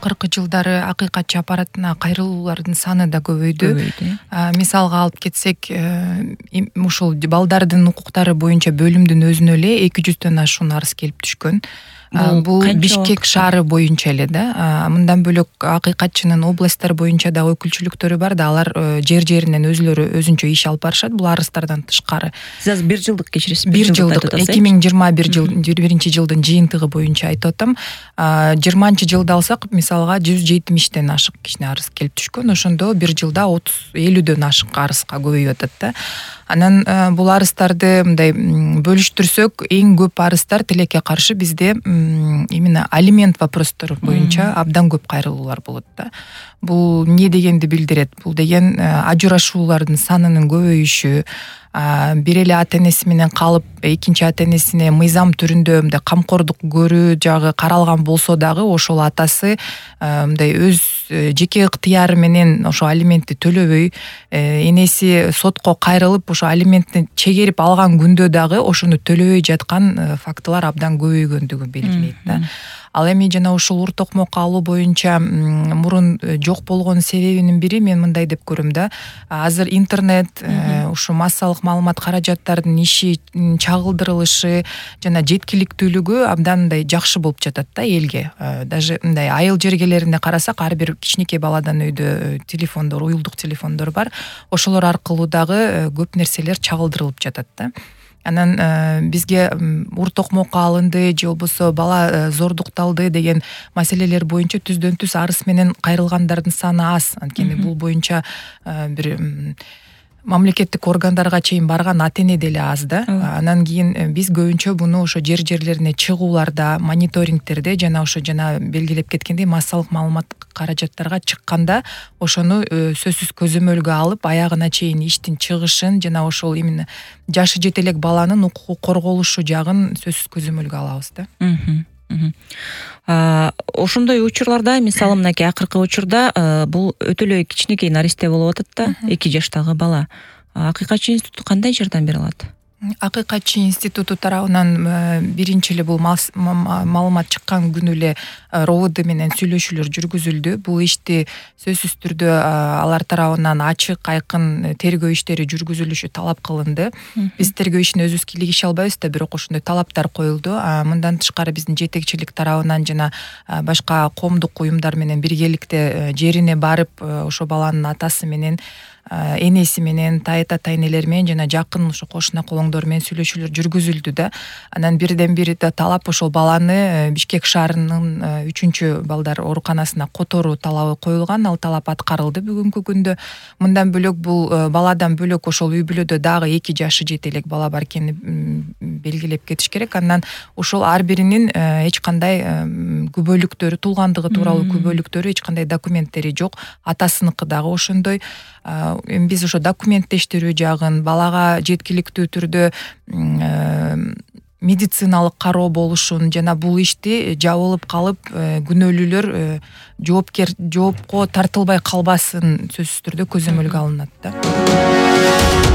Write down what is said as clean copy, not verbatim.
акыркы жылдары акыйкатчы аппаратына кайрылуулардын саны да көбөйдү. Мисалга алып кетсек, ушул балдардын укуктары боюнча бөлүмдүн өзүнө эле 200дөн ашуун арыз келип түшкөн. Бул Бишкек шаары боюнча эле да. Мындан бөлөк акыйкатчынын областтар боюнча да өкүлчүлүктөрү бар да, алар жер-жеринен өзүлөрү өзүнчө иш алып барышат. Бул арыздардан тышкары. Сиз азыр 1 жылдык кечиресиз. 1 жылдык 2021 жылдын жыйынтыгы боюнча айтып атам. 20-жылды алсак, мисалга 170ден ашык кичине арыз келип түшкөн. Ошондо 1 жылда 30-50дөн ашык арызга көбөйүп атат да. Анан бул арыздарды мындай бөлүштүрсөк, эң көп арыздар тилекке каршы бизде именно алимент вопростор боюнча абдан көп кайрылуулар болот да. Бул эмне дегенди билдирет? Бул деген ажырашуулардын санынын көбөйүшү, бир эле ата-энеси менен калып, экинчи ата-энесине мыйзам түрүндө мындай камкордук көрүү жагы каралган болсо дагы, ошол атасы мындай өз жеке ыктыяры менен ошо алиментти төлөбөй, энеси сотко кайрылып, ошо алиментти чегерип алган күндө дагы ошону төлөбөй жаткан фактылар абдан көбөйгөндүгү белгилейт да. Ал эми жана ушул ур токмок алуу боюнча мурун жок болгон себебинин бири мен мындай деп көрөм да. Азыр интернет, ушу массалык маалымат каражаттардын иши, чагылдырылышы жана жеткиликтүүлүгү абдан мындай жакшы болуп жатат да элге. Даже мындай айыл жергелеринде карасак, ар бир кичинекей баладан өйдө телефондор, уюлдук телефондор бар. Ошолор аркылуу дагы көп нерселер чагылдырылып жатат да. Анан бизге ур токмокко алынды же болбосо бала зордукталды деген маселелер боюнча түздөн түз арыз менен кайрылгандардын саны аз. Анткени бул боюнча бир мамлекеттик органдарга чейин барган ата-эне деле аз да. Анан кийин биз көбүнчө буну ошо жер-жерлерине чыгууларда, мониторингтерде жана ошо жана белгилеп кеткендей массалык маалымат каражаттарга чыкканда ошону сөзсүз көзөмөлгө алып, аягына чейин иштин чыгышын жана ошол именно жашы жете элек баланын укугу корголушу жагын сөзсүз көзөмөлгө алабыз да. Ошондой учурларда, мисалы мынакей акыркы учурда бул өтө эле кичинекей наристе болуп атат да, 2 жаштагы бала. Акыйкатчы институту кандай жардам бере алат? Акыйкатчы институту тарабынан биринчи эле бул маалымат чыккан күнү эле РОВД менен сүйлөшүүлөр жүргүзүлдү. Бул ишти сөзсүз түрдө алар тарабынан ачык, айкын тергөө иштери жүргүзүлүшү талап кылынды. Биз тергөө ишин өзүбүз кийлигише албайбыз да, бирок ошондой талаптар коюлду. Мындан тышкары биздин жетекчилик тарабынан жана башка коомдук уюмдар менен биргеликте жерине барып, ошо баланын атасы менен, энеси менен, тайыта тайнелер менен жана жакын ошо кошуна колоңдор менен сүйлөшүүлөр жүргүзүлдү да. Анан бирден бир талап ошол баланы Бишкек шаарынын 3 балдар ооруканасына которуу талабы коюлган. Ал талап аткарылды бүгүнкү күндө. Мындан бөлөк бул баладан бөлөк ошол үй бүлөдө дагы 2 жашы жете элек бала бар экенин белгилеп кетиш керек. Андан ошол ар биринин эч кандай күбөлүктөрү, туулгандыгы тууралуу күбөлүктөрү, эч кандай документтери жок. Атасыныкы дагы ошондой. Биз ошо документтештирүү жагын, балага жеткиликтүү түрдө медициналык кароо болушун жана бул ишти жабылып калып күнөөлүүлөр жоопко тартылбай калбасын сөзсүз түрдө көзөмөлгө алынат да.